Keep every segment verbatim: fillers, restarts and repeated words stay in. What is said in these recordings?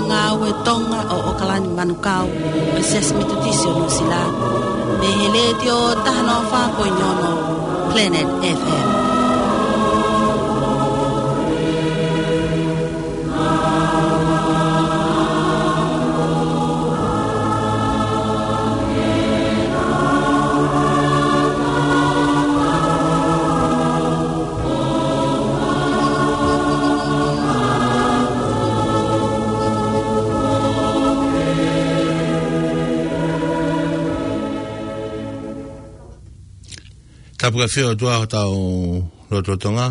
Ngāue Tonga ʻo ʻOkalani Manukau, ʻo e Siasi Metotisi ʻo Nuʻusila, mei he Letiō taha noa fā poini ono Planet F M. Tapu ki he ʻOtua ʻi hotau lotolotonga.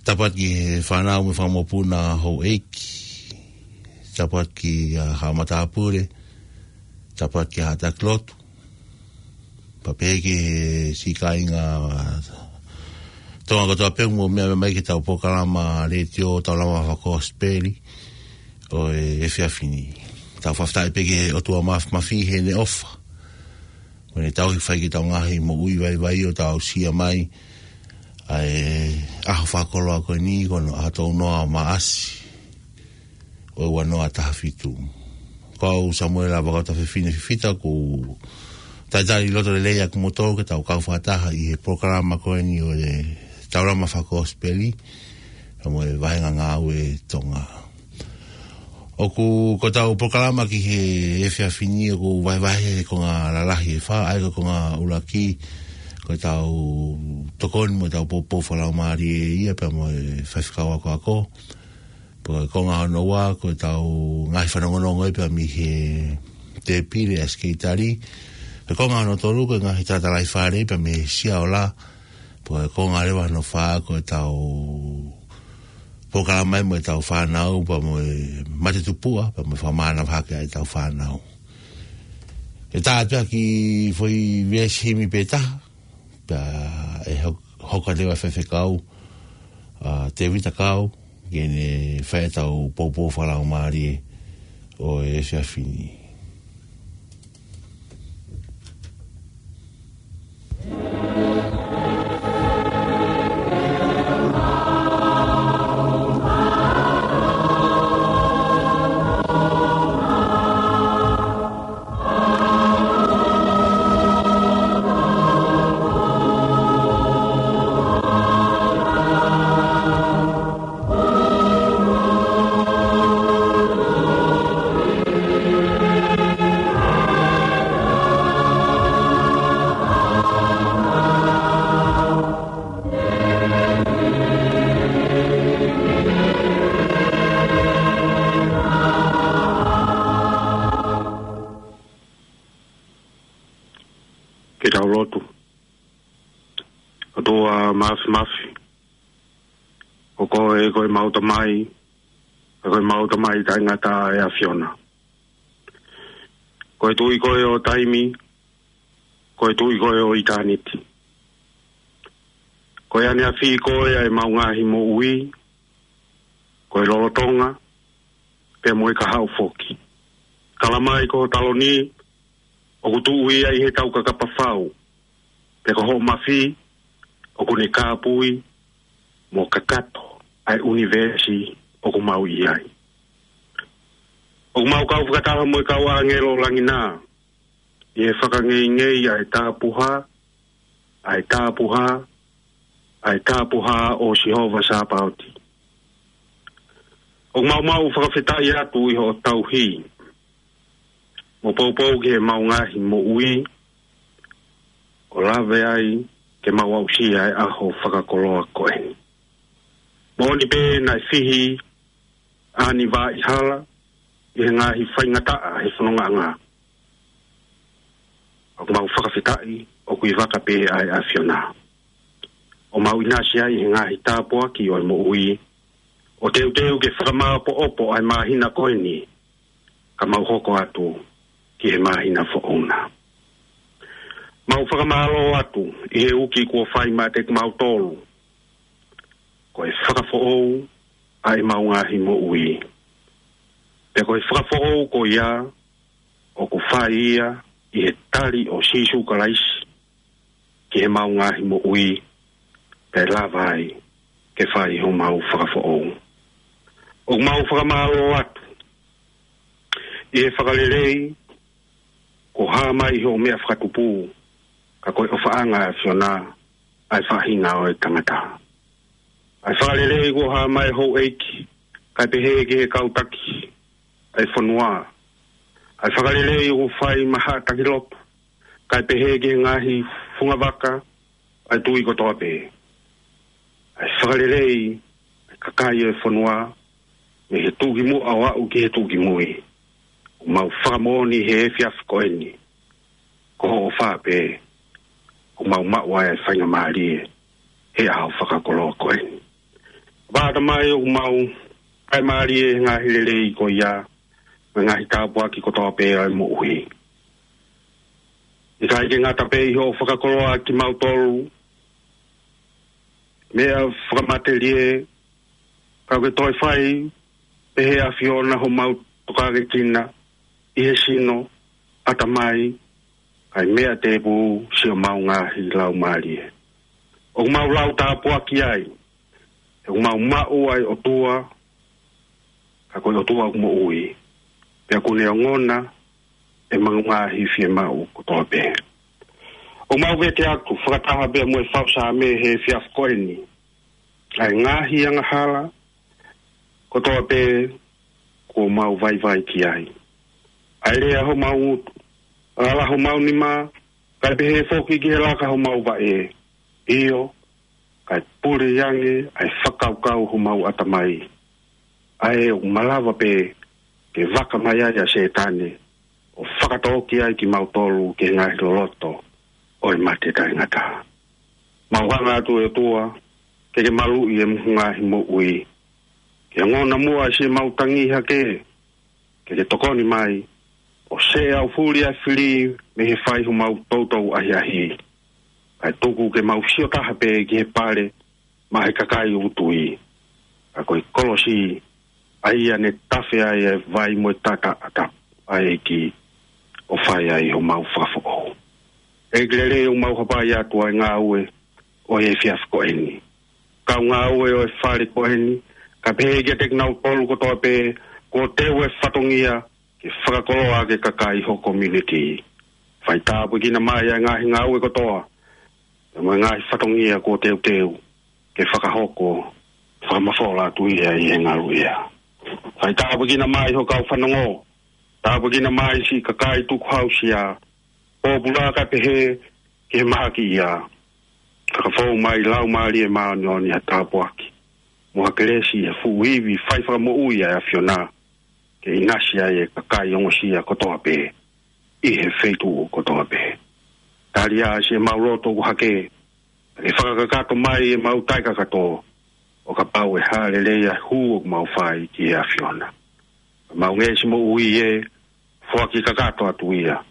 Tapu atu ki he fānau mo e fanga mokopuna houʻeiki. Tapu atu ki he haʻa matāpule. Tapu atu ki he haʻa taki lotu. Pea pehē ki he siʻi kāinga Tonga kotoa pē ʻoku mou meʻa mai ki heʻetau polokalama letiō Taulama Fakakosipeli ʻo e efiafi ni. Tau fakafetaʻi pē ki he ʻOtua Māfimafi heʻene ʻofa. Ko ʻene tauhi fai ki heʻetau ngaahi moʻui vaivai ʻo tau aʻusia mai ʻa e ʻaho fakakoloa ko eni, ko hono ʻaho tolu noa ʻo Maʻasi ʻo e ua noa taha fitu. Ko au Samuela Vakauta Fefine Fifita, ʻoku ou talitali loto lelei ʻa kimoutolu ke tau kau fakataha ʻi he polokalama ko eni ʻo e Taulama Fakakosipeli, pea mo e Vahenga Ngāue Tonga. ʻOku, ko ʻetau polokalama ki he efiafi ni ʻoku vahevahe he konga lalahi ʻe fā, ʻa ia ko e konga ʻuluaki, ko ʻetau tokoni mo ʻetau poupou fakalaumālie ia pea mo e faifekau akoako. Pea ko e konga hono ua, ko ʻetau ngaahi fanongonongo ia pea mei he tēpile ʻa e sekelitali. Ko e konga hono tolu, ko e ngaahi talatalaifale pea mei he Sia Ola. Pea ko e konga leva hono fā, ko ʻetau polokalama ia mo ʻetau fānau, pea mo e mate tupuʻa, pea mo e fakamānava hake ʻa ʻetau fānau. ʻE tā atu ʻa e kiʻi foʻi veesi himi pē taha, pea ʻe ho-, hoko atu leva e faifekau, ʻa Tēvita Kau, ke ne fai ʻetau poupou fakalaumālie ʻo e efiafi ni. Ke tau lotu. ʻOtua Māfimafi, ko koe ko ʻemau Tamai, ko ʻemau Tamai taʻengata ʻa e ʻAfiona. Ko e Tuʻi koe ʻo taimi, ko e Tuʻi koe ʻo ʻitāniti. Ko e ʻaneafi koe ʻa ʻemau ngaahi moʻui, ko e lolotonga, pea mo e kahaʻu foki. Tala mai ko hoʻo taloni, ʻoku tuʻu ia ʻi he taukakapa fau, pea ko hoʻo mafi, ʻoku ne kāpui mo kakato ʻa e ʻunivēsi ʻoku mau ʻi ai. ʻOku mau kau fakataha mo e kau ʻāngelo langi na, ʻi he fakangeingei ʻa e tāpuhā, ʻa e tāpuhā, ʻa e tāpuhā ʻo Sihova Sāpaoti. ʻOku mau maʻu fakafetaʻi atu ʻi hoʻo tauhi mo poupou ki heʻemau ngaahi moʻui, ʻo lave ai ke mau aʻusia e ʻaho fakakoloa ko eni. Moʻoni pē naʻe fihi ʻa ʻAni Vaʻihala ʻi he ngaahi faingataʻa he fonongaʻanga. ʻOku mau fakafetaʻi ʻoku ʻi vaka pē ʻa e ʻAfiona, ʻo mau ʻinasi ai he ngaahi tāpuaki ʻo e moʻui, ʻo teuteu ke fakamāʻopoʻopo ʻa e māhina ko eni, ka mau hoko atu ki he māhina foʻou na. Mau fakamālō atu ʻi he uki kuo fai maʻa kimautolu, ko e fakafoʻou ʻa ʻemau ngaahi moʻui. Pea ko e fakafoʻou ko ia, ʻoku fai ia ʻi he tali ʻo Sīsū Kalaisi ki heʻemau ngaahi moʻui, pea lava ai ke fai homau fakafoʻou. ʻOku mau fakamālō atu ʻI he fakalelei, kuo hā mai ʻi hoʻo meʻa fakatupu, ka ko e ʻofaʻanga ʻa e ʻAfiona ʻa e faʻahinga ʻo e tangata. ʻA e fakalelei kuo hā mai ʻi he houʻeiki, kae pehē ki he kau taki ʻa e fonua. ʻA e fakalelei kuo fai maʻa e taki lotu, kae pehē ki he ngaahi fungavaka ʻa e tui kotoa pē. ʻA e fakalelei ʻa e kakai ʻo e fonua, mei he tuʻukimuʻa ʻo aʻu ki he tuʻukimui. ʻOku mau fakamoʻoni he efiafi ko eni, ko hoʻo ʻofa pē ʻoku mau maʻu ai ʻa e faingamālie he ʻaho fakakoloa ko eni. Pea ʻatamai ʻoku mau fakamālieʻi he ngaahi lelei ko ia, mo e ngaahi tāpuaki kotoa pē ʻa e moʻui. ʻIkai ke ngata pē ʻi hoʻo fakakoloa kimautolu meʻa fakamatelie, ka ʻoku ke toe fai pē ʻe he ʻAfiona homau tokākekina ʻi he sino, ʻatamai, kae meʻa tēpū siʻomau ngaahi laumālie. ʻOku mau lau tāpuaki ai, he ʻoku mau maʻu ʻa e ʻOtua, ka ko e ʻOtua ʻoku moʻui, pea ʻoku ne ongona ʻemau ngaahi fiemaʻu kotoa pē. ʻOku mau vete atu fakataha pē mo e fau Saame he efiafi ko eni ʻa e ngaahi angahala kotoa pē kuo mau vaivai ki ai. ʻA e lea homau ngutu, ala homau nima, kae pehē foki ki he laka homau vaʻe. ʻIo, kae pule ange ʻa e fakakaukau homau ʻatamai, ʻa ē ʻoku malava pē ke vaka mai ai ʻa Sētane ʻo fakatōki ai kimautolu ki he ngaahi loloto ʻo e mate taʻengata. Mau hanga atu ʻe ʻOtua ke ke maluʻi ʻemau ngaahi moʻui, ke ongona muʻa siʻemau tangi hake, ke ke tokoni mai ʻo seʻe ʻaufuli ʻa e fili mei he fai homau toutou ʻahiʻahi, kae tuku ke mau sio taha pē ki he pale maʻa e kakai ʻoku tui, ka ko e kolosi ʻa ia ne tafe ai ʻa e vai mo e taʻataʻa ʻa e ʻEiki ʻo fai ai homau fakafoʻou. ʻEiki lelei, ʻoku mau hapai atu ʻa e ngāue ʻo e efiafi ko eni, kau ngāue ʻo e fale ko eni, kae pehē kiate kinautolu kotoa pē kuo teu e fatongia ke fakakoloa ʻaki e kakai ho community. Fai tāpuekina mai ʻa e ngaahi ngāue kotoa, pea mo e ngaahi fatongia kuo teuteu ke fakahoko fakamafola atu ia ʻi he ngaluʻea. Fai tāpuekina mai ho kau fanongo, tāpuekina mai siʻi kakai tukuhāusia, pōpula kae pehē ki he mahaki ia, ka ka fou mai Laumālie Māʻoniʻoni ha tāpuaki mo ha kelesi ʻi he fuʻu ivi fai fakamoʻui ʻa e ʻAfiona, ke ʻinasi ai e kakai ongosia kotoa pē ʻi he feituʻu kotoa pē. Tali ā siʻemau loto ʻoku hake, ke fakakakato mai ʻemau taʻekakato, ʻo kapau ʻe hā lelei ʻa e hū ʻoku mau fai ki he ʻAfiona. Mau ngeʻesi moʻui ē, foaki kakato atu ia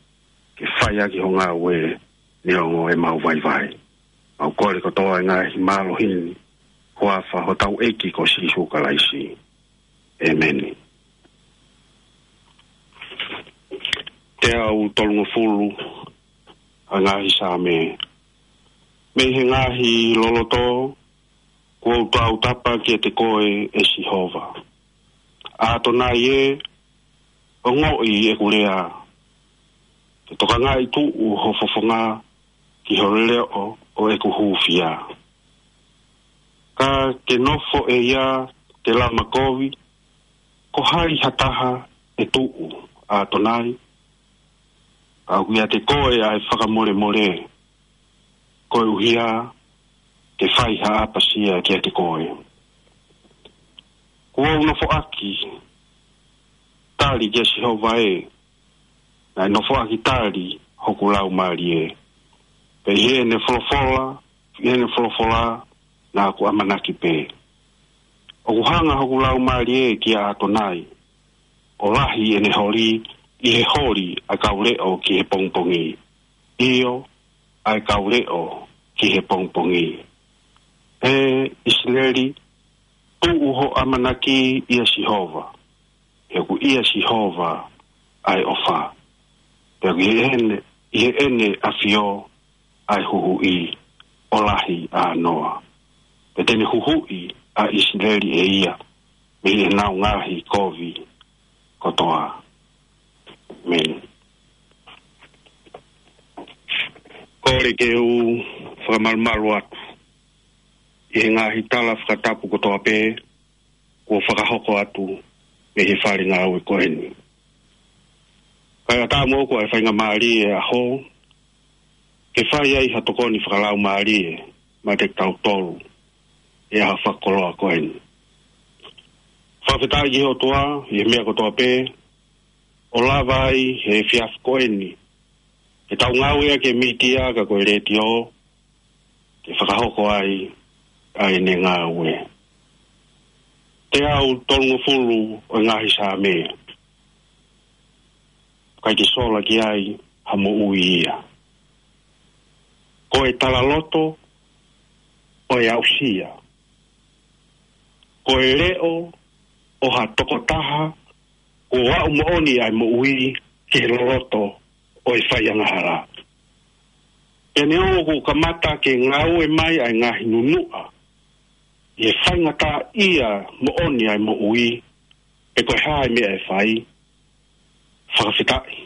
ke fai ʻaki ho ngāue, neongo ʻemau vaivai. Mau kole kotoa e ngaahi mālohi ni, huafa hotau ʻEiki ko Sīsū Kalaisi. ʻĒmeni. Teau tolungofulu, ʻa e ngaahi Saame. Mei he ngaahi loloto kuo u tautapa kiate koe, ʻe Sihova. ʻAtonai ē, ongoʻi ʻeku lea, ke tokangaʻi tuʻu ho fofonga ki ho leʻo ʻo ʻeku hūfia. Ka ke nofo ʻe ia ke lama kovi, ko hai ha taha ʻe tuʻu, ʻAtonai? Ka ʻoku ʻiate koe ʻa e fakamolemole, koeʻuhi ke fai ha ʻapasia kiate koe. Kuo u nofoʻaki tali kia Sihova ē, naʻe nofoʻaki tali hoku laumālie. Pea ʻi heʻene folofola, ʻi heʻene folofola, naʻa ku ʻamanaki pē. ʻOku hanga hoku laumālie kia ʻAtonai, ʻo lahi ʻene holi ʻi he holi ʻa e kau leʻo ki he pongipongi. ʻIo, ʻa e kau leʻo ki he pongipongi. ʻE ʻIsileli, tuʻu ho ʻamanaki ʻia Sihova, he ʻoku ʻia Sihova ʻa e ʻofa. Pea ʻoku ʻi heʻene, ʻi heʻene ʻafio ʻa e huhuʻi ʻo lahi ʻānoa. Pea te ne huhuʻi ʻa ʻIsileli ʻe ia mei heʻenau ngaahi kovi kotoa. ʻĀmeni. Kole ke u fakamalumalu atu ʻi he ngaahi tala fakatapu kotoa pē kuo fakahoko atu mei he fale ngāue ko eni. Kae ʻatā moʻoku ʻa e faingamālie ʻo e ʻaho ke fai ai ha tokoni fakalaumālie maʻa kitautolu ʻi he ʻaho fakakoloa ko eni. Fakafetaʻi ki he ʻOtua ʻi he meʻa kotoa pē, ʻo lava ai he efiafi ko eni ke tau ngāueʻaki e mītia ka ko e letiō ke fakahoko ai ʻa ʻene ngāue. Teau tolungofulu ʻo e ngaahi Saame, ʻikai ke sola ki ai ha moʻui ia. Ko e talaloto ʻo e aʻusia, ko e leʻo ʻo ha tokotaha kuo aʻu moʻoni ʻa e moʻui ki he loloto ʻo e faiangahala. Pea neongo kuo kamata ke ngāue mai ʻa e ngaahi nunuʻa ʻi he faingataʻaʻia moʻoni ʻa e moʻui, pe ko e hā e meʻa ʻe fai, fakafetaʻi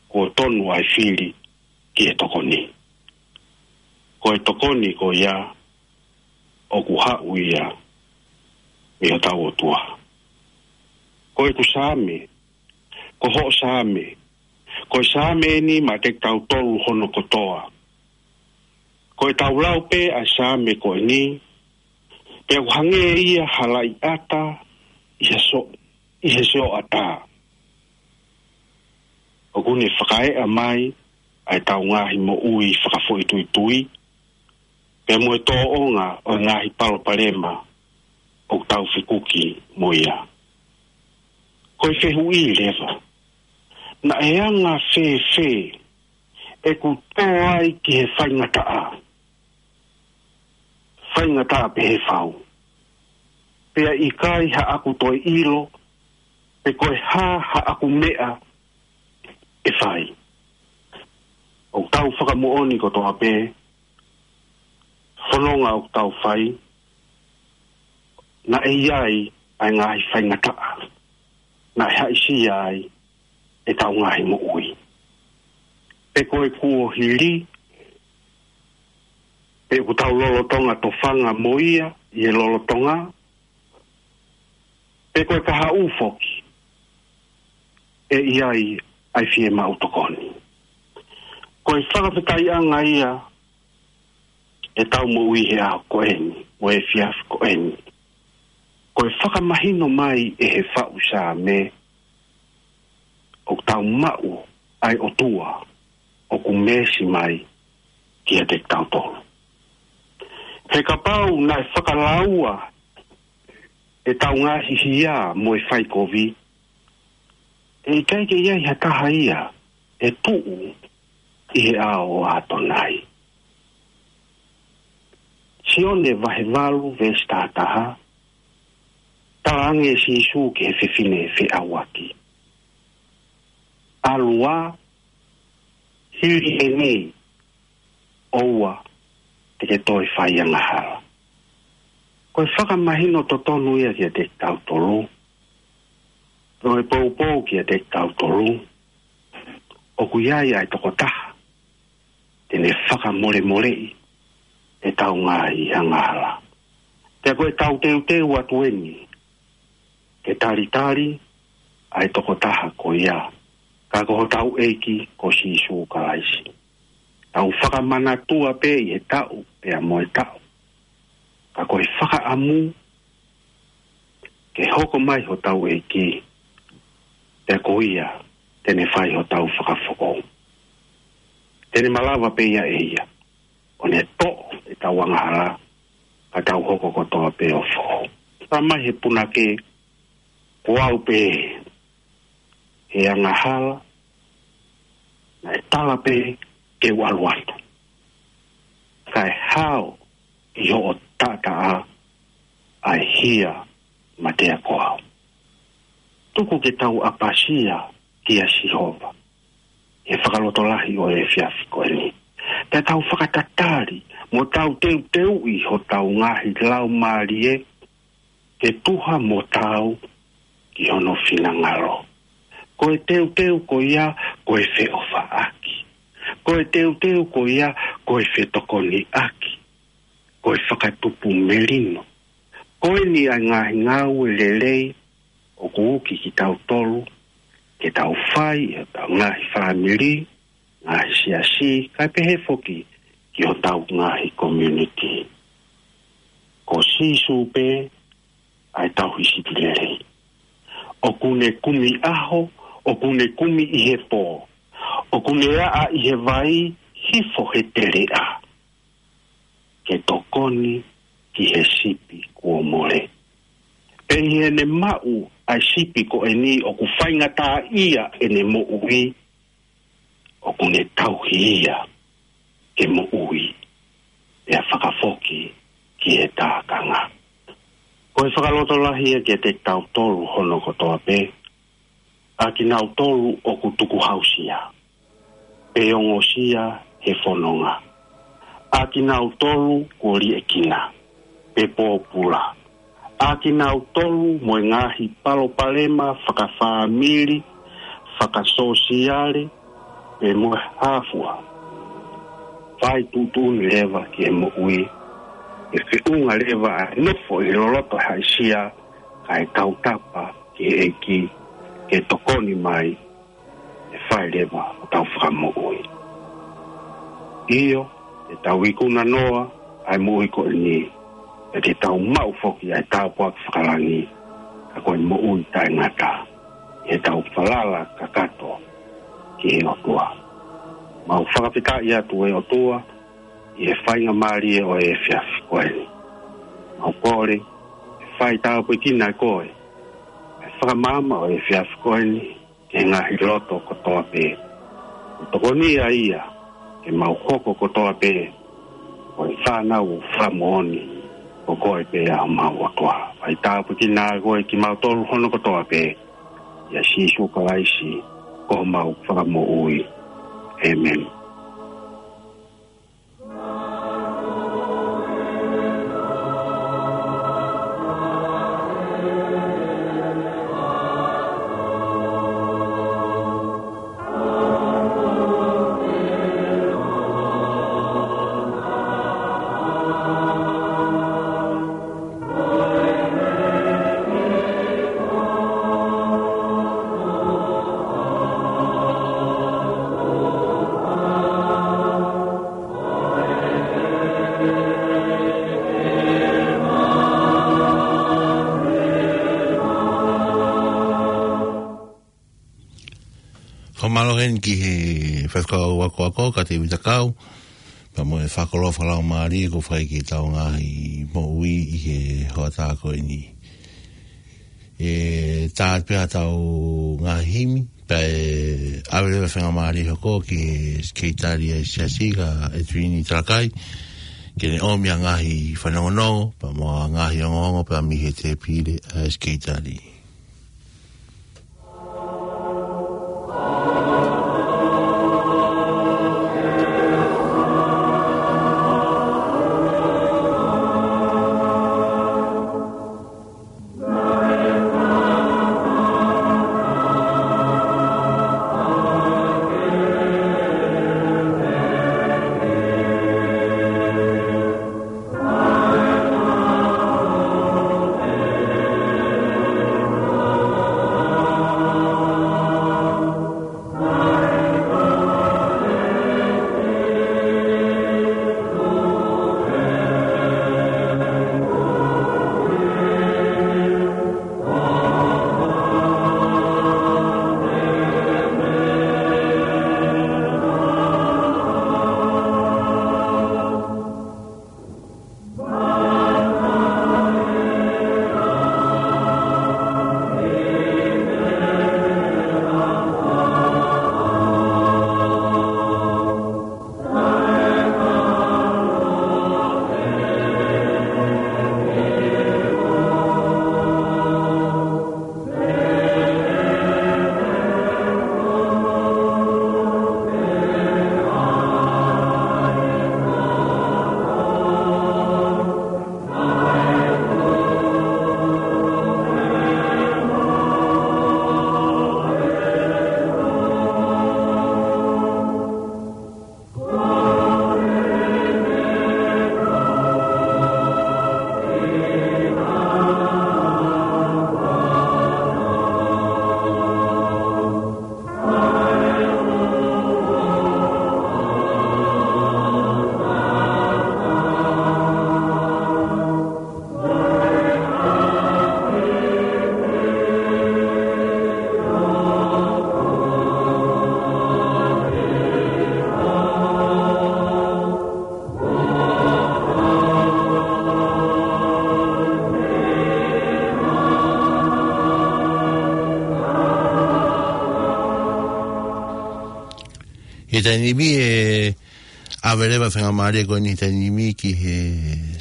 kuo tonu ʻa e fili ki he tokoni. Ko e tokoni ko ia ʻoku haʻu ia mei hotau ʻOtua. Ko ʻeku Saame, ko hoʻo Saame, ko e Saame eni maʻa kitautolu hono kotoa. Ko ʻetau lau pē ʻa e Saame ko eni, pea ʻoku hangē ia ha laʻiʻata ʻi he so-, ʻi he sioʻata. ʻOku ne fakaeʻa mai ʻa ʻetau ngaahi moʻui fakafoʻituitui, pea mo e tōʻonga ʻo e ngaahi palopalema ʻoku tau fekuki mo ia. Ko e fehuʻi leva, naʻe anga fēfē ʻeku tō ai ki he faingataʻa, faingataʻa pehē fau, pea ʻikai haʻaku toe ʻilo pe ko e hā haʻaku meʻa ʻe fai? ʻOku tau fakamoʻoni kotoa pē, fononga ʻoku tau fai, naʻe ʻi ai ʻa e ngaahi faingataʻa naʻe haʻisia ai ʻetau ngaahi moʻui. Pe ko e kuohili, pe ʻoku tau lolotonga tofanga mo ia ʻi he lolotonga, pe ko e kahaʻu foki, ʻe ʻi ai ʻa e fiemaʻu tokoni. Ko e fakafetaʻiʻanga ia ʻetau moʻui he ʻaho ko eni, mo e efiafi ko eni. Ko e fakamahino mai ʻe he faʻu Saame, ʻoku tau maʻu ʻa e ʻOtua ʻoku meesi mai kiate kitautolu. He kapau naʻe fakalaua ʻetau ngaahi hia mo e faikovi, ʻe ʻikai ke ʻi ai ha taha ia ʻe tuʻu ʻi he ʻao ʻo ʻAtonai. Sione vahe valu veesi taha taha, talaange ʻe Sīsū ki he fefine feʻauaki, ʻalu ā, hili eni, ʻoua te ke toe fai angahala. Ko e fakamahino totonu ia kiate kitautolu, ʻo e poupou kiate kitautolu, ʻoku ʻi ai ʻa e tokotaha te ne fakamolemoleʻi ʻetau ngaahi angahala. Pea ko ʻetau teuteu atu eni ke talitali ʻa e tokotaha ko ia, ka ko hotau ʻEiki ko Sīsū Kalaisi. Tau fakamanatua pē ʻi he taʻu pea mo e taʻu, ka ko e fakaʻamu ke hoko mai hotau ʻEiki, pea ko ia te ne fai hotau fakafoʻou. Te ne malava pē ia ʻe ia ʻo ne toʻo ʻetau angahala, ka tau hoko kotoa pē ʻo foʻou. Talamai he punake, ko au pē he angahala, naʻe tala pē ke u ʻalu atu. Kae hao ʻi hoʻo taʻataʻa ʻa e hia matea ko au. Tuku ke tau ʻapasia kia Sihova he fakalotolahi ʻo e efiafi ko eni. Pea tau fakatatali mo tau teuteuʻi hotau ngaahi laumālie ke tuha mo taau ki hono finangalo. Ko e teuteu ko ia, ko e feʻofaʻaki. Ko e teuteu ko ia, ko e fetokoniʻaki. Ko e fakatupu melino. Ko eni ʻa e ngaahi ngāue lelei ʻoku uki kitautolu ke tau fai ʻi hotau ngaahi fāmili, ngaahi siasi, kae pehē foki ki hotau ngaahi community. Ko Sīsū pē ʻa e tauhi sipi lelei. ʻOku ne kumi ʻaho, ʻoku ne kumi ʻi he pō, ʻoku ne aʻa ʻi he vai, hifo he teleʻa, ke tokoni ki he sipi kuo mole. Pea ʻi heʻene maʻu ʻa e sipi ko eni ʻoku faingataʻaʻia ʻene moʻui, ʻoku ne tauhi ia ke moʻui, pea fakafoki ki he tākanga. Ko e fakalotolahi ia kiate kitautolu hono kotoa pē, ʻa kinautolu ʻoku tukuhausia, pe ongosia he fononga, ʻa kinautolu kuo liʻekina, pe pōpula, ʻa kinautolu mo e ngaahi palopalema fakafāmili, fakasōsiale, pe mo e hā fua. Fai tuʻutuʻuni leva ki he moʻui, ʻe feʻunga leva ʻa e nofo ʻi he loloto haʻisia, kae tautapa ki he ʻEiki ke tokoni mai, ʻe fai leva hotau fakamoʻui. ʻIo, te tau ikuna noa ʻa e moʻui ko eni, pea te tau maʻu foki ʻa e tāpuaki fakalangi, ka ko e moʻui taʻengata, ʻi heʻetau falala kakato ki he ʻOtua. Mau fakafetaʻi atu, ʻe ʻOtua, ʻi he faingamālie ʻo e efiafi ko eni. Mau kole ke fai tāpuekina ʻe koe ʻa e fakamaama ʻo e efiafi ko eni ki he ngaahi loto kotoa pē. Ko e tokoni ia ia ke mau hoko kotoa pē ko e fānau ʻoku fakamoʻoni ko koe pē ʻa homau ʻOtua. Fai tāpuekina ʻe koe kimautolu hono kotoa pē, ʻia Sīsū Kalaisi ko homau Fakamoʻui. ʻĒmeni. Fakamālō heni ki he faifekau akoako, ka te vitakau, pea mo e fakakoloa fakalaumālie kuo fai ki heʻetau ngaahi moʻui ʻi he hoʻatā ko eni. ʻE tā pē ʻetau ngaahi himi, pea ʻe ʻave leva faingamālie hoko ki he sekelitali ʻa e siasi, ka Edwini Talakai, ke ne ʻomi ʻa e ngaahi fanongonongo, pea mo e ngaahi ongoongo, pea mei he tēpile ʻa e sekelitali. ʻI he taimi ni ʻe ʻave leva e faingamālie ko eni he taimi ni ki he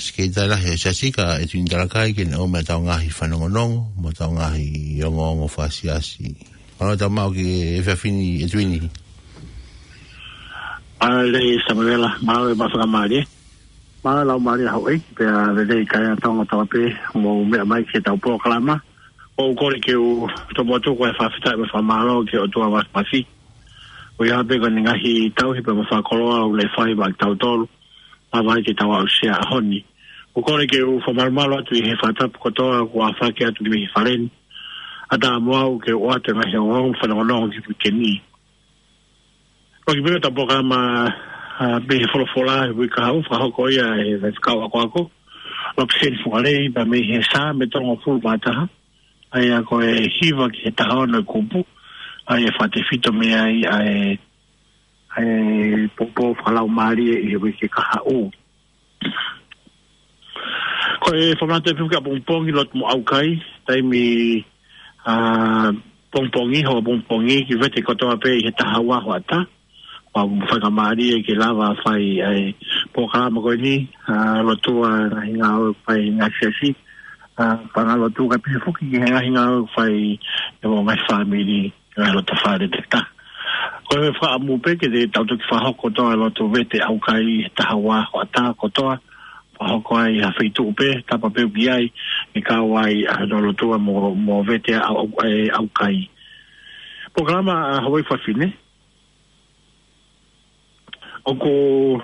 Sekelitali Lahi ʻo e Siasi, ʻEtuini Talakai, ke ne ʻomai ʻetau ngaahi fanongonongo, mo ʻetau ngaahi ongoongo fakasiasi. Mālō e tau maʻu ki he efiafi ni ʻEtuini. Mālō e Samuela, mālō e faingamālie. Mālō e laumālie Hauʻeiki, pea lelei kae ʻatā ʻa Tonga pē, mou meʻa mai ki heʻetau polokalama. ʻOku ou kole ke u tomuʻa tuku ʻa e fakafetaʻi mo e fakamālō ki he ʻOtua Māfimafi. ʻOku ʻi ai pē ko ʻene ngaahi tauhi pea mo e fakakoloa ʻoku ne fai maʻa kitautolu, ʻo lava ai ke tau aʻusia e ʻaho ni. ʻOku ou kole ke u fakamalumalu atu ʻi he fakatapu kotoa kuo ʻafaki atu mei he fale ni, ʻatā mo au ke u ʻoatu e ngaahi ongoongo mo e fanongonongo ki he uike ni. ʻOku ʻi ai pē ʻetau polokalama, ʻa, mei he folofola he uike kahaʻu, fakahoko ia ʻe he faifekau akoako, Lopseni Fualei, pea mei he Saame tolungofulu mā taha, ʻa ia ko e hiva ki he taha ono e kupu, ʻa ia ʻe fakatefito mei ai ʻa e, ʻa e poupou fakalaumālie ʻi he uike kahaʻu. Ko e fakamanatu pē ki ʻapongipongi, lotu mo ʻaukai, taimi, ʻa, pongipongi, hoʻo pongipongi, ke vete kotoa pē ʻi he taha ua hoʻatā. Pea ʻoku faingamālie ke lava fai ʻa e polokalama ko eni, ʻa, lotua ngaahi ngāue fai ngaahi siasi, ʻa, pea ngaahi lotu kae pehē foki ki he ngaahi ngāue fai ʻe he ngaahi fāmili, ngaahi loto fale te ta. Ko e fakaʻamu pē ke te tau toki fakahoko kotoa e lotu vete ʻaukai he taha ua hoʻatā kotoa, fakahoko ai ha feituʻu pē, tapa pē ʻoku ʻi ai, ʻe kau ai ʻa e lotu mo, mo vete ʻa, ʻa, ʻaukai. Polokalama ʻa Hauʻeiki Fafine. ʻOku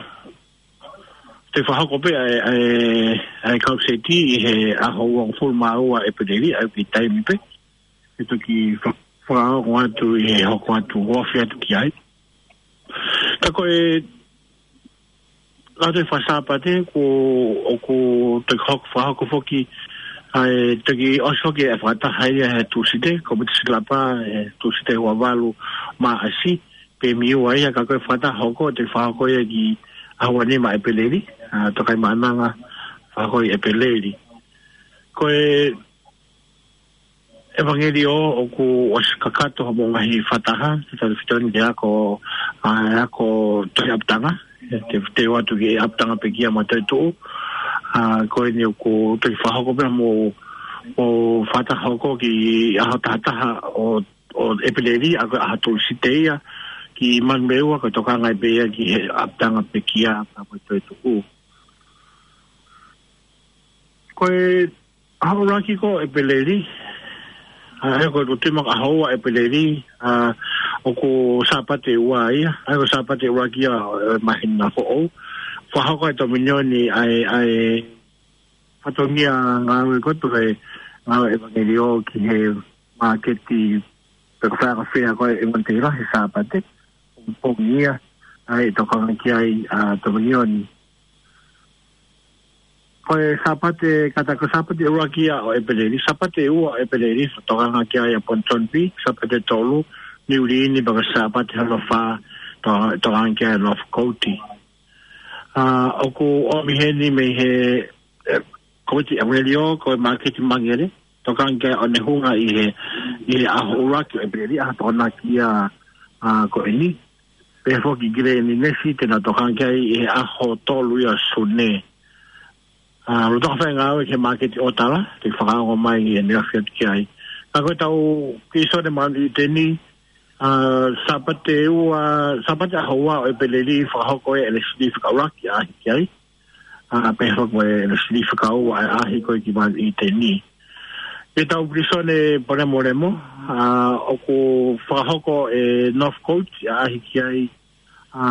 te fakahoko pē ʻa e, ʻa e, ʻa e kau seti ʻi he ʻaho uofulu mā ua ʻEpeleli, ʻa e ki he taimi pē. Ke toki fa-, fakaongo atu ʻi he hoko atu, ofi atu ki ai. Ka ko e, ka te fai Sāpate, ko, ʻoku toki hoko, fakahoko foki, ʻa e toki ʻosi foki e fakataha ia he Tūsite, ko Miti Silapa, he Tūsite ua valu Maʻasi, pē mei ua ia, ka ko e fakataha hoko, te fakahoko ia ki he ʻaho ua nima ʻEpeleli, ʻa, Tokaimaʻananga, fakahoko ʻi ʻEpeleli. Ko e ʻevangeliō ʻoku ʻosi kakato hoʻomou ngaahi fakataha, te tau fitoni ke ako, ʻa, ako tohi ʻapitanga, te, te u ʻoatu ki he ʻapitanga pekia mo e toetuʻu, ʻa, ko eni ʻoku toki fakahoko pē mo, mo fakataha hoko ki he ʻaho taha taha ʻo, ʻo ʻEpeleli, ʻa ko e ʻaho Tūsite ia, ki Manurewa, ko e tokanga ai pē ia ki he ʻapitanga pekia, pea mo e toetuʻu. Ko e ʻaho ʻuluaki ko ʻEpeleli, ʻa, ʻa ia ko e tui mai ko e ʻaho ua ʻEpeleli, ʻa, ʻoku Sāpate ua ia, ʻa ia ko e Sāpate ʻuluaki ia ʻo e māhina foʻou. Fakahoko ʻe he Tōminioni ʻa e, ʻa e fatongia ngāue ko ē ʻo e ngāue ʻevangeliō ki he māketi pe ko e faiako fea ko ē ʻi Manurewa he Sāpate, pongipongi ia, ʻa ia ʻe tokanga ki ai ʻa e Tōminioni. Ko e Sāpate, kātaki ko e Sāpate ʻuluaki ia ʻo ʻEpeleli, Sāpate ua ʻEpeleli, tokanga ki ai ʻa Ponton B, Sāpate tolu, Niu Lini, pea ko e Sāpate hono fā, to-, tokanga ki ai ʻa Northcote. ʻA, ʻoku ʻomi heni mei he, ʻe, Komiti ʻEvangeliō, ko e māketi Mangere, tokanga ki ai ʻa Onehunga ʻi he, ʻi he ʻaho ʻuluaki ʻo ʻEpeleli, ʻaho Tokonaki ia, ʻa, ko eni. Pehē foki ki Leni Nesi, te na tokanga ki ai ʻi he ʻaho tolu ia ʻo Sune. ʻA, lolotonga fai e ngāue ki he māketi ʻOtala, te fakaongo mai ʻi heʻene ofi atu ki ai. Ka ko ʻetau Pilisone Maʻaneʻi ʻĪteni, ʻa, Sāpate ua, Sāpate ʻaho ua ʻo ʻEpeleli, fakahoko e ʻelesini fika ʻuluaki ʻaʻahi ki ai. ʻA, pehē foki mo e ʻelesini fika ua ʻaʻahi ko ē ki Maʻaneʻi ʻĪteni. Ko ʻetau Pilisone Palemolemo, ʻa, ʻoku fakahoko e Northcote ʻaʻahi ki ai, ʻa,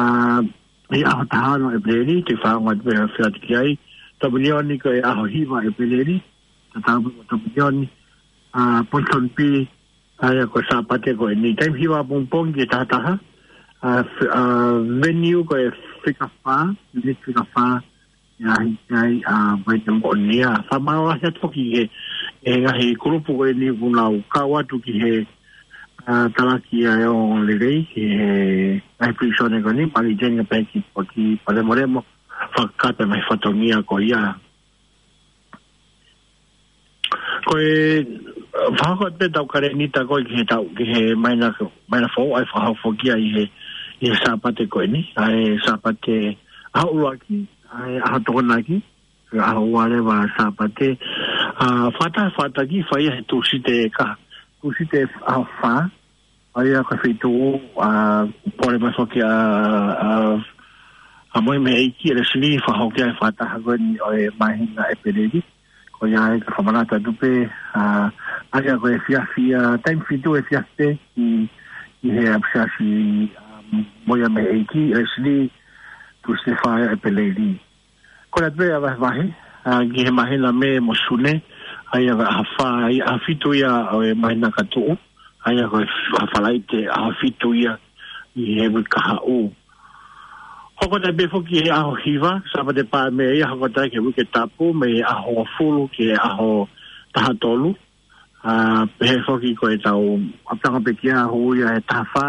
ʻi he ʻaho taha ono ʻEpeleli, te fakaongo atu pē ʻo ofi atu ki ai. Tōminioni ko e ʻaho hiva ʻEpeleli, tatau pē mo Tōminioni, ʻa, Ponton B, ʻa ia ko e Sāpate ko eni, taimi hiva pongipongi ki he taha taha, ʻa, f-, ʻa, venue ko e fika fā, unit fika fā, ʻaʻahi ki ai, ʻa, mai te moʻonia. Fakamālō lahi atu foki ki he, he ngaahi kulupu ko eni ʻoku nau kau atu ki he, ʻa, talaki ʻa e ongoongolelei, ki he ngaahi Pilisone ko eni, Maʻaneʻi ʻĪteni pea ki, ki Palemolemo, fakakakato e ngaahi fatongia ko ia. Ko e, ʻa, fakahoko atu pē ʻetau kalēnita ko ē ki he taʻu, ki he māhina, māhina foʻou, ʻa ia fakahoko foki ia ʻi he, ʻi he Sāpate ko eni, ʻa e Sāpate ʻaho ʻuluaki, ʻa e ʻaho Tokonaki, ʻaho ua leva Sāpate, ʻa, fakataha fakataha ki ai he Tūsite ka, Tūsite ʻaho fā, ʻa ia ko e feituʻu, ʻa, pole mai foki ʻa, ʻa, ʻa Moʻui mei he ʻEiki, ʻEleteli, fakahoko ai e fakataha ko eni ʻo e māhina ʻEpeleli. Ko ia ai ka fakamanatu atu pē, ʻa, ʻa ia ko e efiafi, ʻa, taimi fitu efiafi pē ʻi, ʻi he ʻapisiasi, ʻa, Moʻui mei he ʻEiki, ʻEleteli, Tūsite fā ia ʻEpeleli. Ko ia pē ʻa e vahevahe, ʻa, ki he māhina Mē mo Sune, ʻa ia ko e ʻaho fā, ʻa ia ʻaho fitu ia ʻo e māhina ka tuʻu, ʻa ia ko e ʻaho Falaite, ʻaho fitu ia ʻi he uike kahaʻu. Hoko atu pē foki he ʻaho hiva, Sāpate pā mei ai, hoko atu ki he uike tapu, mei he ʻaho hongofulu ki he ʻaho taha tolu. ʻA, pehē foki ko ʻetau ʻapitanga pekia hū ia he taha fā,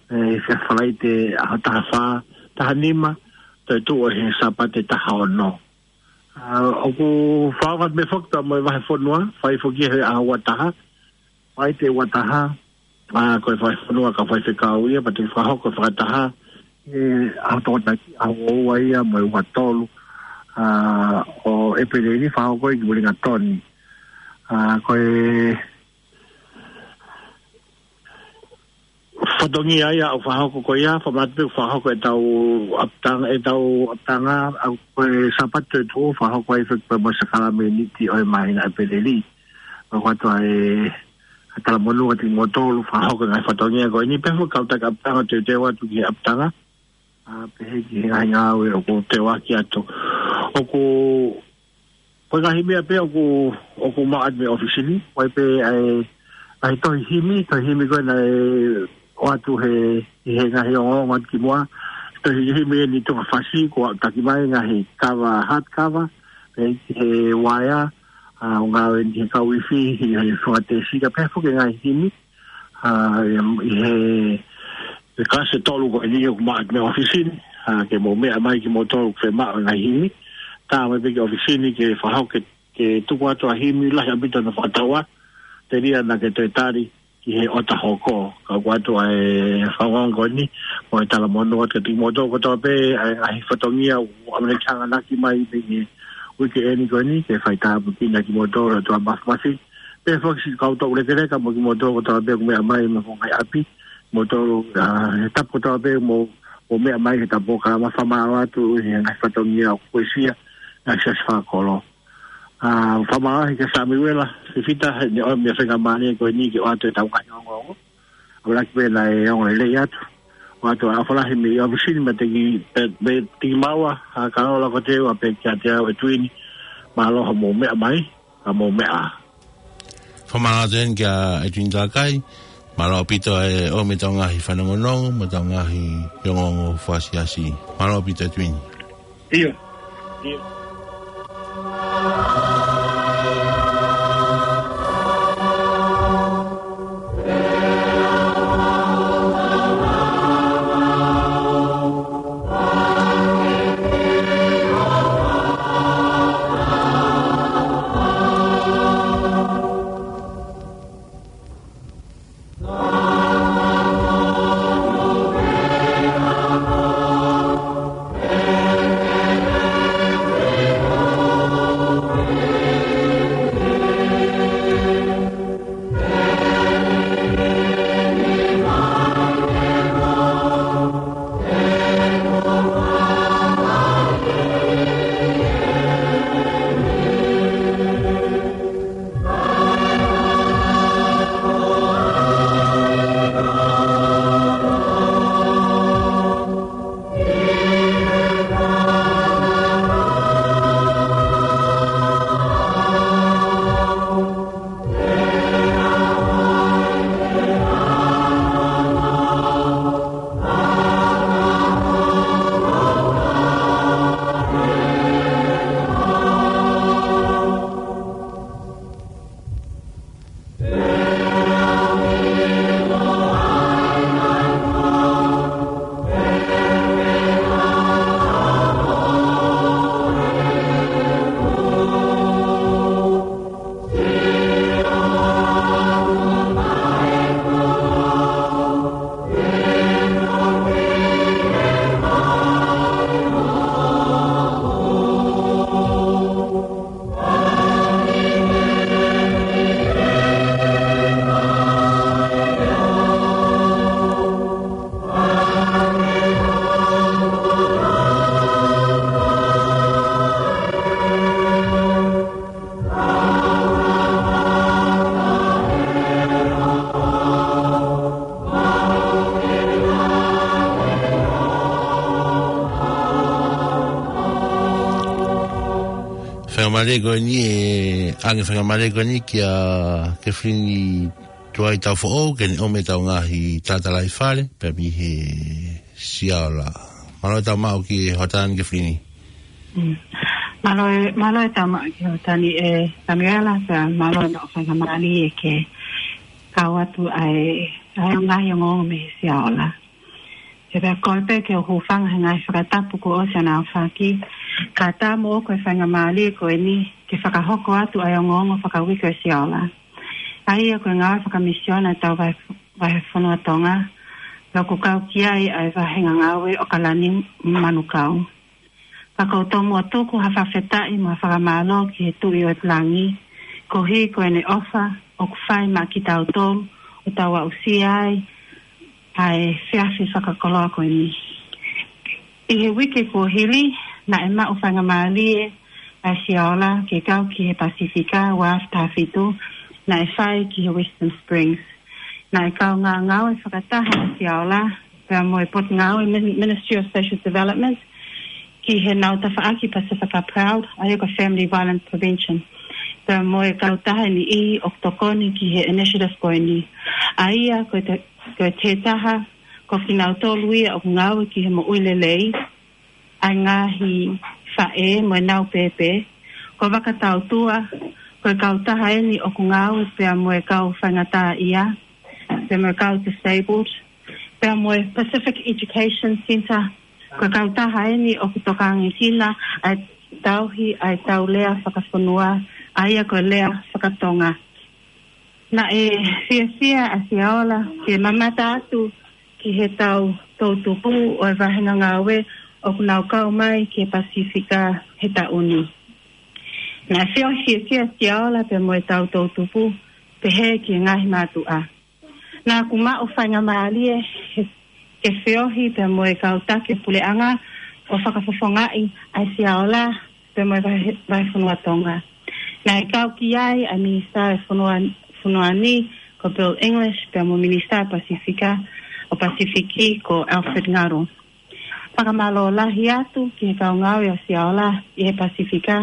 ʻe, he Falaite ʻaho taha fā, taha nima, toe tuʻu he Sāpate taha ono. ʻA, ʻoku fakaʻofa atu pē foki pea mo e vahefonua, fai foki he ʻaho ua taha, Falaite ua taha, ʻa, ko e vahefonua ka faifekau ia, pea te fakahoko fakataha, ʻe, ʻaho Tokonaki, ʻaho ua ia mo e ua tolu, ʻa, ʻo ʻEpeleli fakahoko ia ki Uelingatoni. ʻA, ko e fatongia ia ʻoku fakahoko ko ia, fakamanatu pē ʻoku fakahoko ʻetau ʻapitanga, ʻetau ʻapitanga, ʻa, ko e Sāpate toe tuʻu, fakahoko ai foki pē mo e sākalamēniti ʻo e māhina ʻEpeleli. ʻOku ʻoatu ʻa e, ʻa e talamonū kiate kimoutolu, fakahoko e ngaahi fatongia ko eni, pea mo e kau taki ʻapitanga teuteu atu ki he ʻapitanga. ʻA, pehē ki he ngaahi ngāue ʻoku teuaki atu. ʻOku, ko e ngaahi meʻa pē ʻoku, ʻoku maʻu atu mei he ʻōfisi ni, ʻoku ʻi ai pē ʻa e, ʻa e tohi himi, tohi himi ko ē naʻe ʻoatu he, ʻi he ngaahi ongoongo atu ki muʻa, tohi himi eni tuʻunga fasi, kuo taki mai ngaahi kava, hard cover, pehē ki he uaea, ʻa, ʻoku ngāue eni he kau ifi, ʻi he fanga tēsika, pehē foki ngaahi himi, ʻa, ʻi he, he kalasi ʻe tolu ko eni ʻoku maʻu mei he ʻōfisi ni, ʻa, ke mou meʻa mai kimoutolu ʻoku fiemaʻu ngaahi himi. Tā mai pē ki he ʻōfisi ni ke fakahoko ke, ke tuku atu ʻa e himi lahi ʻaupito ʻo fakatauʻa, telia naʻa ke toe tali ki he ʻota hoko. Ka ʻoku ʻoatu ʻa e fakaongo ko eni, mo e talamonū atu kiate kimoutolu kotoa pē, ʻa e ngaahi fatongia ʻoku ʻamanaki ke hanganaki mai mei he uike eni ko eni, ke faitāpuekina kimoutolu ʻe he ʻOtua Māfimafi. Pehē foki siʻi kau tōʻulekeleka mo kimoutolu kotoa pē ʻoku meʻa mai mei he ngaahi ʻapi, kimoutolu, ʻa, he tapu kotoa pē mou, mou meʻa mai he tapu ka ma fakamālō atu he ngaahi fatongia ʻoku uesia, ngaahi siasi fakakolo. ʻA, fakamālō ki he Samiuela Fifita, he ne ʻomai e feinga mālie ko eni ke ʻoatu ʻetau ngaahi ongoongo. ʻAmanaki pē naʻe ongo lelei atu. ʻOatu ʻa e ʻofa lahi mei he ʻōfisi ni meiate ki, mei, meiate kimaua, ʻa, Kalola ko Teua pea kiate au ʻEtuini. Mālō hoʻomou meʻa mai, ʻa, mou meʻa. Fakamālō atu eni kia ʻEtuini Talakai, mālō ʻaupito e ʻomi ʻetau ngaahi fanongonongo, mo ʻetau ngaahi ongoongo fakasiasi. Mālō ʻaupito ʻEtuini. ʻIo. ʻIo. Mālie ko eni e, ʻange faingamālie ko eni kia Kefilini Tuai Taufoʻou, ke ne ʻomai ʻetau ngaahi tatalaifale, pea mei he Siaola. Mālō e tau maʻu ki he hoʻatā ni Kefilini. Mm. Mālō e, mālō e tau maʻu ki he hoʻatā ni ʻe Samuela, pea mālō e maʻu faingamālie ke kau atu ai, ʻa e ngaahi ongoongo mei he Siaola. He pea kole pē ke u hūfanga he ngaahi fakatapu kuo ʻosi ʻaofaki, kae ʻatā moʻoku e faingamālie ko eni, ke fakahoko atu ʻa e ongoongo fakauike ʻo e Siaola. ʻA ia ko e ngāue fakamisiona ʻa e tau vahe, vahefonua Tonga, pea ʻoku kau ki ai ʻa e vahenga ngāue ʻo Kalani Manukau. Ka ʻoku ou tomuʻa tuku ha fakafetaʻi mo e fakamālō ki he Tuʻi ʻo e Langi, koeʻuhi ko ʻene ʻofa ʻoku fai maʻa kitautolu, ʻo tau aʻusia ai ʻa e efiafi fakakoloa ko eni. ʻI he uike kuo hili, naʻe maʻu faingamālie ʻa e Siaola ke kau ki he Pasifika ua afe taha fitu, naʻe fai ki he Western Springs. Naʻe kau ngāue fakataha ʻa e Siaola, pea mo e Potungāue Min-, Ministry of Social Development, ki heʻenau tafaʻaki Pasifika Proud, ʻa ia ko e Family Violence Prevention. Pea mo e kautaha ʻe niʻihi ʻoku tokoni ki he initiative ko eni. ʻA ia ko e te-, ko e taha, ko kinautolu ia ʻoku ngāue ki he moʻui lelei ʻa e ngaahi faʻē mo ʻenau pēpē. Ko Vakatautua, ko e kautaha eni ʻoku ngāue pea mo e kau faingataʻaʻia, pea mo e kau disabled, pea mo e Pacific Education Centre, ko e kautaha eni ʻoku tokanga ki ai ʻa e tauhi ʻa e tau lea fakafonua, ʻa ia ko e lea fakatonga. Naʻe fiefia ʻa Siaola ke mamata atu ki he tau toʻutupu ʻo e vahenga ngāue ʻoku nau kau mai ki he Pasifika he taʻu ni. Naʻe feohi fiefia ʻa Siaola pea mo e tau toʻutupu, pehē ki he ngaahi mātuʻa. Naʻa ku maʻu faingamālie he, ke feohi pea mo e kau taki puleʻanga ʻo fakafofongaʻi ʻa e Siaola pea mo e vahe, vahefonua Tonga. Naʻe kau ki ai ʻa e Minisitā ʻo e fonua, fonua ni ko Bill English pea mo e Minisitā Pasifika ʻo Pasifiki ko Alfred Ngaro. Fakamālō lahi atu ki he kau ngāue ʻa Siaola ʻi he Pasifika,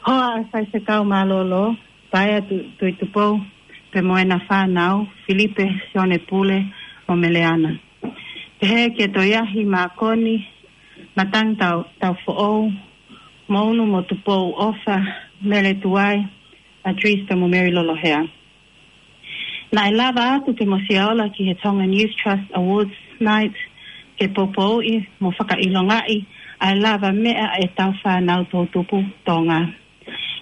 hoa ʻa e faifekau mālōlō, Paea Tu-, Tuʻitupou, pea mo ʻena fānau, Filipe, Sione Pule, mo Meleana. Pehē kia Toiahi Mākoni, Matangi Tau, Taufoʻou, Mounu mo Tupou ʻOfa, Mele Tuai, Adris pea mo Mary Lolohea. Naʻe lava atu ke mo Siaola ki he Tongan Youth Trust Awards Night, ke poupouʻi mo fakaʻilongaʻi ʻa e lavameʻa ʻa e tau fānau toʻutupu Tonga.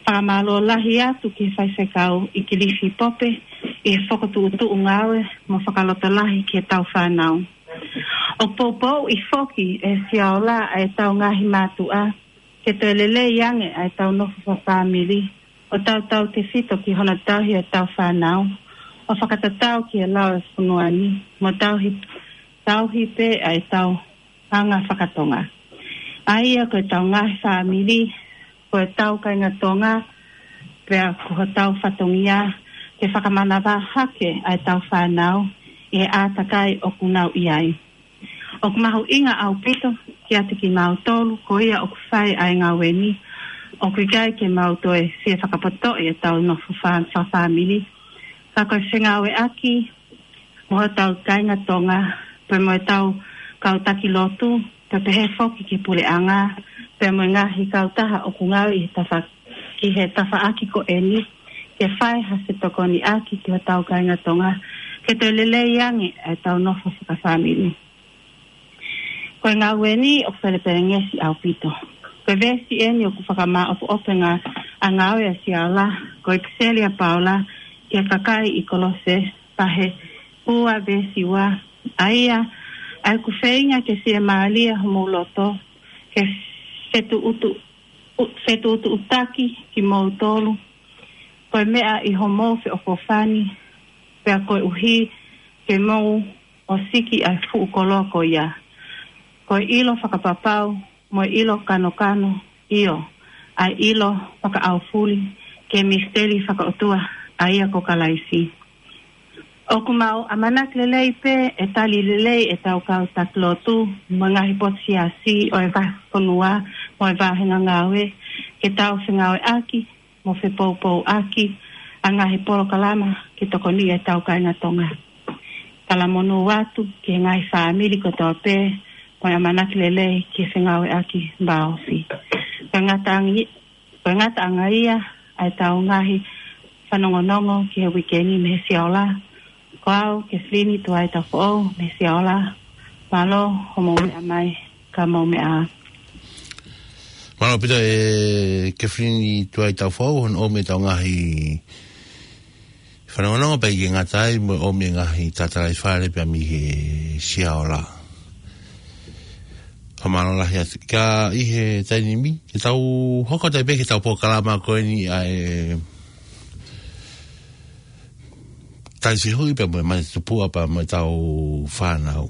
Fakamālō lahi atu ki he faifekau ʻIkilifi Pope ʻi he fokotuʻutuʻu ngāue mo fakalotolahi ki he tau fānau. ʻOku poupouʻi foki ʻe Siaola ʻa e tau ngaahi mātuʻa, ke toe lelei ange ʻa e tau nofo fakafāmili, ʻo tautautefito ki hono tauhi ʻa e tau fānau, ʻo fakatatau ki he lao ʻo e fonua ni, mo tauhi, tauhi pē ʻa e tau anga fakatonga. ʻA ia ko e tau ngaahi fāmili, ko e tau kāinga Tonga, pea ko hotau fatongia, ke fakamanavahē hake ʻa e tau fānau, ʻi he ʻātakai ʻoku nau ʻi ai. ʻOku mahuʻinga ʻaupito kiate kimautolu ko ia ʻoku fai ʻa e ngāue ni, ʻoku ʻikai ke mau toe fie fakapotoʻi ʻetau nofo fā-, fakafāmili. Ka ko e fengāueʻaki mo hotau kāinga Tonga, pea mo ʻetau kau taki lotu, pea pehē foki ki he puleʻanga, pea mo e ngaahi kautaha ʻoku ngāue ʻi he tafa-, ki he tafaʻaki ko eni, ke fai ha fetokoniʻaki ki hotau kāinga Tonga, ke toe lelei ange ʻetau nofo fakafāmili. Ko e ngāue ni ʻoku pelepelengesi ʻaupito. Ko e veesi eni ʻoku fakamāʻopoʻopo ʻa e ngāue ʻa Siaola, ko e ʻipiseli ʻa Paula ki he kakai ʻi Kolose, vahe ua veesi ua, ʻa ia, ʻa ia ʻoku feinga ke fiemālie homou loto, ke fetuʻutu-, u-, fetuʻutuʻutaki kimoutolu, ko e meʻa ʻi homou feʻofoʻofani, pea koeʻuhi ke mou ʻosiki ʻa e fuʻu koloa ko ia. Ko e ʻilo fakapapau, mo e ʻilo kanokano, ʻio, ʻa e ʻilo fakaʻaufuli, ki he misiteli fakaʻotua, ʻa ia ko Kalaisi. ʻOku mau ʻamanaki lelei pē ʻe tali lelei ʻetau kau taki lotu, mo e ngaahi potu siasi ʻo e vahefonua, mo e vahenga ngāue, ke ʻetau fengāueʻaki mo fepoupouʻaki ʻa e ngaahi polokalama ke tokoniʻi ʻetau kāinga Tonga. Talamonū atu ki he ngaahi fāmili kotoa pē mo e ʻamanaki lelei ki he fengāueʻaki vāofi. Ko e ngataʻanga, ko e ngataʻanga ia ʻa ʻetau ngaahi fanongonongo ki he uike ni mei he Siaola. Ko au, Kefilini Tuai Tafoʻou, mei he Siaola. Mālō hoʻomou meʻa mai, ka mou meʻa ā. Mālō ʻaupito e Kefilini Tuai Tafoʻou, hono ʻomi ʻetau ngaahi fanongonongo pea ʻikai ke ngata ai mo e ʻomi e ngaahi tatalaifale pea mei he Siaola. Fakamālō lahi atu. Ka ʻi he taimi ni, ke tau hoko atu pē ki heʻetau polokalama ko eni ʻa e tali fehuʻi pea mo e mate tupuʻa pea mo ʻetau fānau.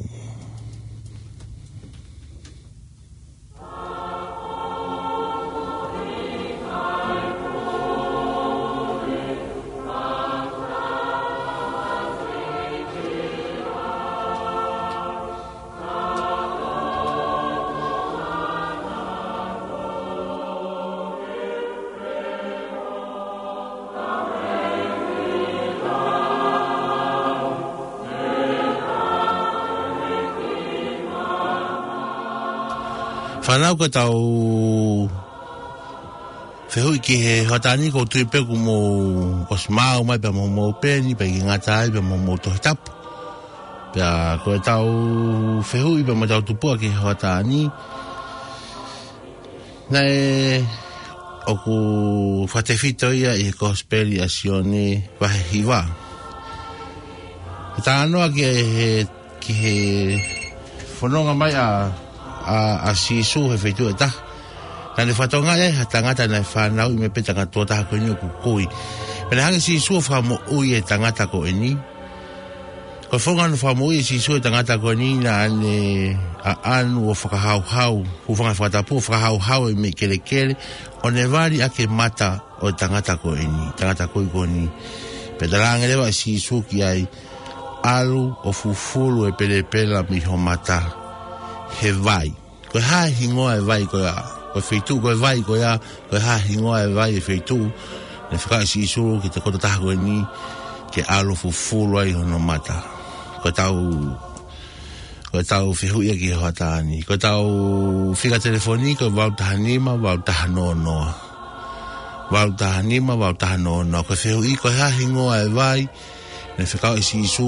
Fānau, ko ʻetau fehuʻi ki he hoʻatā ni, ʻoku ou tui pē kuo mou ʻosi maʻu mai pea mo hoʻomou peni, pea ʻikai ngata ai pea mo hoʻomou Tohi Tapu. Pea ko ʻetau fehuʻi pea mo ʻetau tupuʻa ki he hoʻatā ni, naʻe ʻoku fakatefito ia ʻi he Kosipeli ʻa Sione vahe hiva. Ko e talanoa ki he, ki he fononga mai ʻa, ʻa, ʻa Sīsū he feituʻu ʻe taha. Naʻa ne fakatokangaʻi ai ha tangata naʻe fanauʻi mai pē tangata tuʻo taha ko eni ʻoku kui. Pea naʻe hanga ʻe Sīsū ʻo fakamoʻui e tangata ko eni. Ko e founga hono fakamoʻui ʻe Sīsū e tangata ko eni, naʻa ne ʻaʻanu ʻo fakahauhau, hūfanga he fakatapu ʻo fakahauhau e meʻi kelekele, ʻo ne vali ʻaki e mata ʻo e tangata ko eni, tangata kui ko eni. Pea talaange leva ʻe Sīsū ki ai, ʻalu ʻo fufulu e pelepela mei ho mata he vai. Ko e hā e hingoa e vai ko ia? Ko e feituʻu ko e vai ko ia, ko e hā e hingoa e vai e feituʻu naʻe fekau ʻe Sīsū ki he tokotaha ko eni ke ʻalu ʻo fufulu ai hono mata? Ko ʻetau, ko ʻetau fehuʻi ia ki he hoʻatā ni. Ko ʻetau fika telefoni ko e valu taha nima, valu taha noa noa. Valu taha nima, valu taha noa noa. Ko e fehuʻi, ko e hā e hingoa e vai naʻe fekau ʻe Sīsū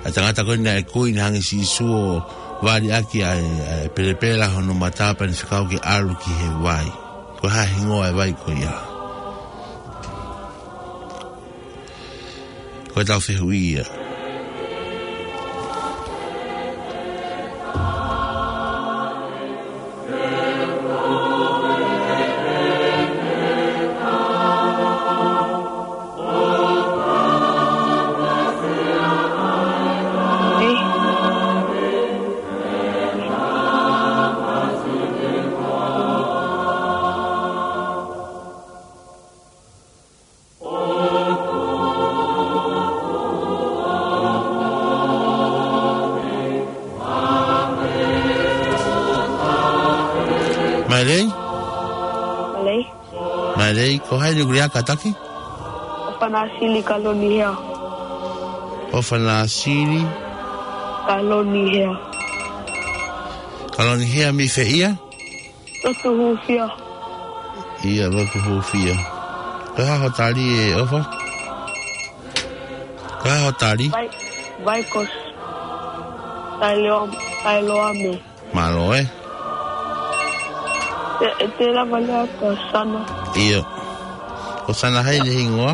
ʻa e tangata ko eni naʻe kui, naʻe hanga ʻe Sīsū ʻo vali ʻaki ʻa e, ʻa e pelepela hono mata pea ne fekau ke ʻalu ki he vai? Ko e hā e hingoa e vai ko ia? Ko ʻetau fehuʻi ia. Mailei? Mailei. Mailei, ko hai ʻoku lea kātaki? ʻOfana Sili Kaloni Hea. ʻOfana Sili? Kaloni Hea. Kaloni Hea mei fē ia? Lotu Hūfia. ʻIa, Lotu Hūfia. Ko e hā hoʻo tali ʻe ʻOfa? Ko e hā hoʻo tali? Vai, vai ko Tailoa, Tailoa me. Mālō ē. Te, te lava lea ko Sana. ʻIa. Ko Sana hai ʻene hingoa?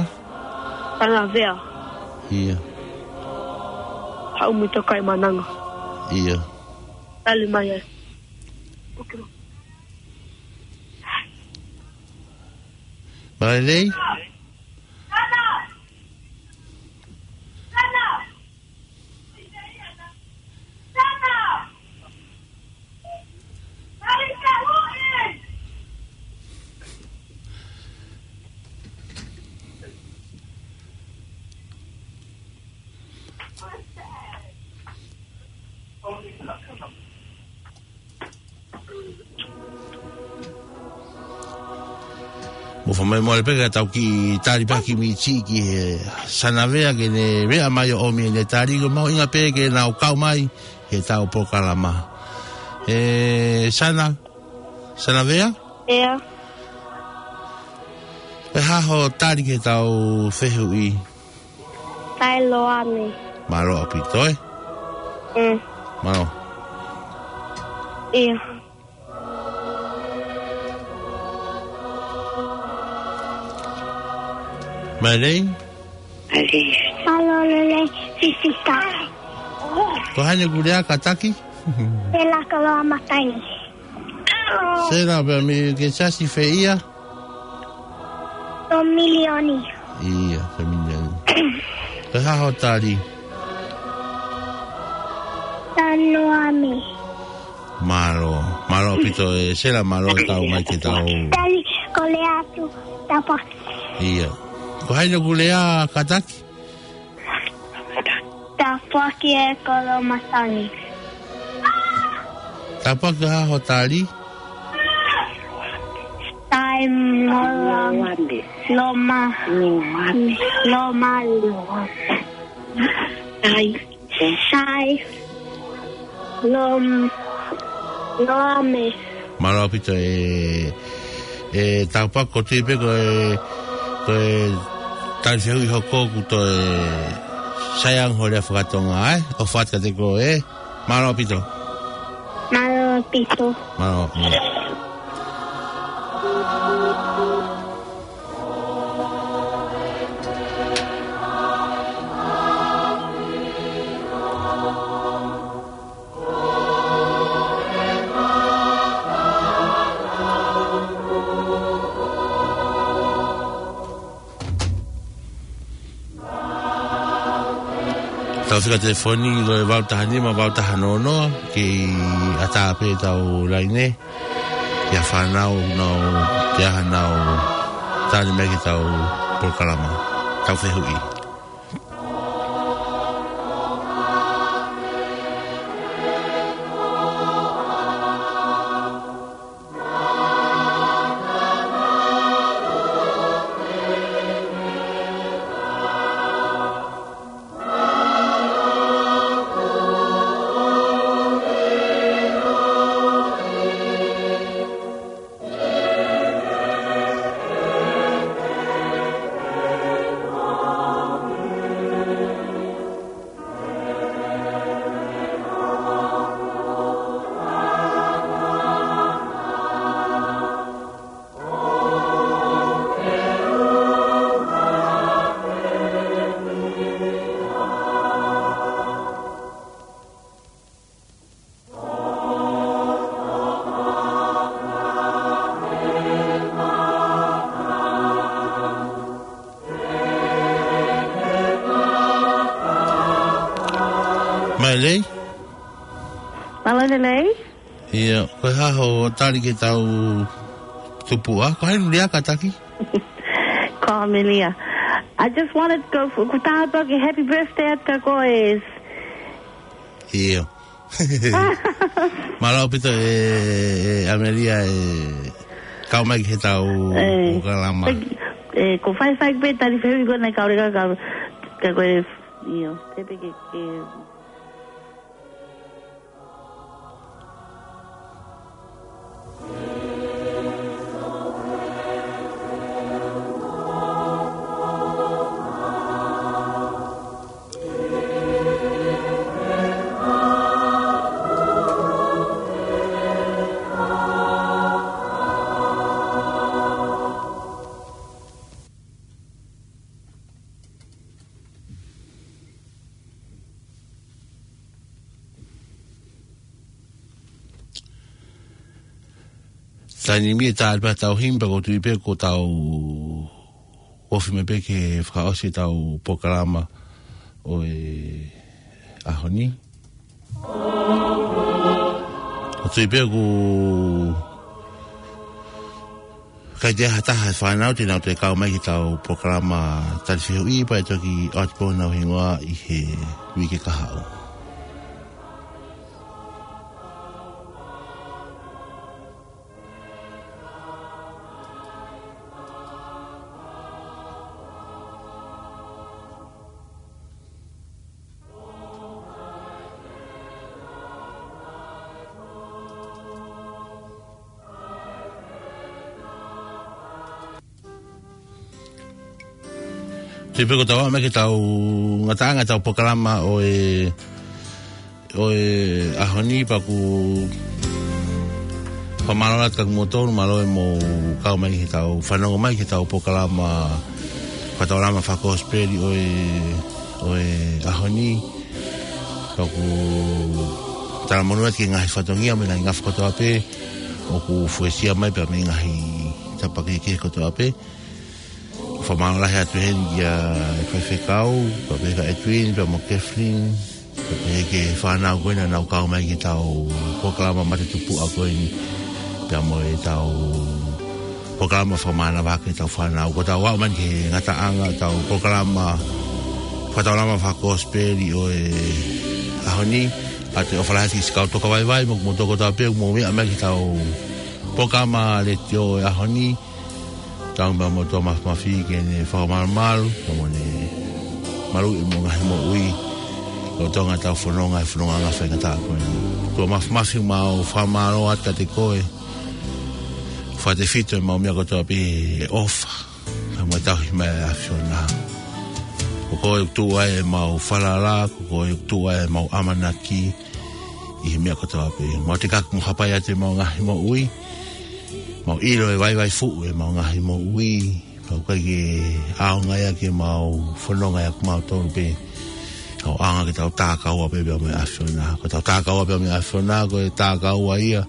Sana Vea. ʻIa. Haʻu mei Tokaimaʻananga. ʻIa. Tali mai ai. Mailei? ʻOfa mai mole pē ke tau kiʻi tali pē ha kiʻi miniti ki he Sanavea ke ne meʻa mai ʻo ʻomi ʻene tali, ko e mahuʻinga pē ke nau kau mai he ʻetau polokalama. ʻE Sana, Sanavea? ʻIo. Ko e hā hoʻo tali ki heʻetau fehuʻi? Siloame. Mālō ʻaupito, ē? Mm. Mālō. ʻIo. Mailei? Mailei. Mālō, Lelei, Sisita. Ko hai ʻoku lea kātaki? Sela Koloamatangi. Sela, pea mei ke siasi fē ia? Ko Milioni. ʻIo, ko Milioni. Ko e hā hoʻo tali? Siloame. Mālō, mālō ʻaupito ē Sela, mālō e kau mai ki heʻetau. Tali, ko e lea atu, tāpuaki. ʻIo. Ko hai ʻoku lea kātaki? Tāpuaki ē Koloamatangi. Tāpuaki, ko e hā hoʻo tali? Sai Mola Loma Loma Sai. Sai. Lom-, Loame. Mālō ʻaupito ē, ē Tāpuaki, ʻoku ou tui pē ko e, ko e tali fehuʻi hoko ʻoku toe sai ange hoʻo lea fakatonga, ē? ʻOfa atu kiate koe, ē? Mālō ʻaupito. Mālō ʻaupito. Mālō, mālō. Tau fika telefoni ko e valu taha nima, valu taha noa noa, kei ʻatā pē ʻetau laine. Ki he fānau ʻoku nau, ke ʻaha nau tali mai ki heʻetau polokalama, ʻetau fehuʻi. Mailei? Mālō Lelei? ʻIo, ko e hā hoʻo tali ki heʻetau tupuʻa? Ko hai ʻoku lea kātaki? Ko Amelia. I just wanted to go for, kuo tāpuaki, happy birthday atu kia koe. ʻIo. Mālō ʻaupito ē, ē, Amelia, ē, kau mai ki heʻetau ē, polokalama. Ē, ʻoku ou faifai pē tali fehuʻi ko ena, kae ʻoua ke, ke, ke, ʻio, te pē ke, ke Taimi ni ʻe tali pē ʻetau himi pea ʻoku ou tui pē kuo tau ofi mai pē ke fakaʻosi ʻetau polokalama ʻo e ʻaho ni. ʻOku ou tui pē ʻoku ʻikai toe ʻi ai ha taha e fānau te nau toe kau mai ki heʻetau polokalama tali fehuʻi, pea ʻe toki ʻoatu pē honau hingoa ʻi he uike kahaʻu. Te peko tau mai ke tau ngataʻanga tau polokalama ʻo e, ʻo e ʻaho ni pea ʻoku fakamālō atu kia kimoutolu, mālō e mou kau mai ke tau fanongo mai ke tau polokalama fakataulama fakakosipeli ʻo e, ʻo e ʻaho ni. Pea ʻoku talamonū atu ki he ngaahi fatongia mo e ngaahi ngafa kotoa pē ʻoku fuesia mai pea mei he ngaahi tapa kehekehe kotoa pē. Fakamālō lahi atu heni kia e faifekau, pea pehē kia Edwin, pea mo Kathleen, pea pehē ki he fānau ko ena naʻa nau kau mai ki heʻetau polokalama matatupuʻa ko eni, pea mo ʻetau polokalama fakamānava ki heʻetau fānau. Ko ʻetau aʻu mai ki he ngataʻanga ʻetau polokalama fakataulama fakakosipeli ʻo e ʻaho ni, ʻoatu e ʻofa lahi atu ki he kau tokavaivai mo kimoutolu kotoa pē ʻoku mou meʻa mai ki heʻetau polokalama letiō ʻo e ʻaho ni. Tau meʻa mo e ʻOtua Māfimafi ke ne fakamalumalu, pea mo ne maluʻi homou ngaahi moʻui, lolotonga ʻetau fononga he fononga faingataʻa ko eni. ʻOtua Māfimafi, mau fakamālō atu kiate koe, fakatefito ʻemau meʻa kotoa pē he ʻofa, pea mo e tauhi mai ʻa e ʻAfiona. Ko koe ʻoku tuʻu ai ʻemau falala, ko koe ʻoku tuʻu ai ʻemau ʻamanaki, ʻi he meʻa kotoa pē. Mau tekaki mo hapai atu ʻemau ngaahi moʻui. Mau ʻilo e vaivai fuʻu ʻemau ngaahi moʻui. Pea ʻoku ʻikai ke ʻaonga ia ke mau fononga ia kimautolu pē. Ka ʻoku ʻaonga ke tau takaua pē pea mo e ʻAfiona. Ko ʻetau takaua pea mo e ʻAfiona, ko e takaua ia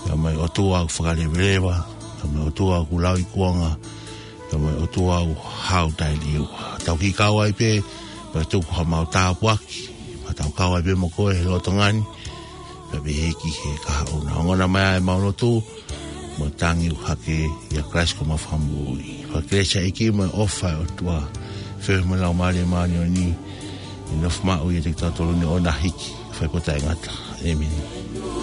pea mo e ʻOtua ʻoku fakaleveleva, pea mo e ʻOtua ʻoku lauikuonga, pea mo e ʻOtua ʻoku hau taʻeliua. Tau kiʻi kau ai pē, pea tuku haʻamau tāpuaki, pea tau kau ai pē mo koe he lolotonga ni, pea pehē ki he kahaʻu na. Ongona mai ʻemau lotu, mo tangi ʻoku hake ʻia Kalaisi ko homau Fakamoʻui. Pea kelesi ʻa e ʻEiki mo e ʻofa ʻa e ʻOtua, feohi mo e Laumālie Māʻoniʻoni, ʻe nofo maʻu ʻiate kitautolu ni ʻo na hiki, fai pē ʻo taʻengata. ʻĒmeni.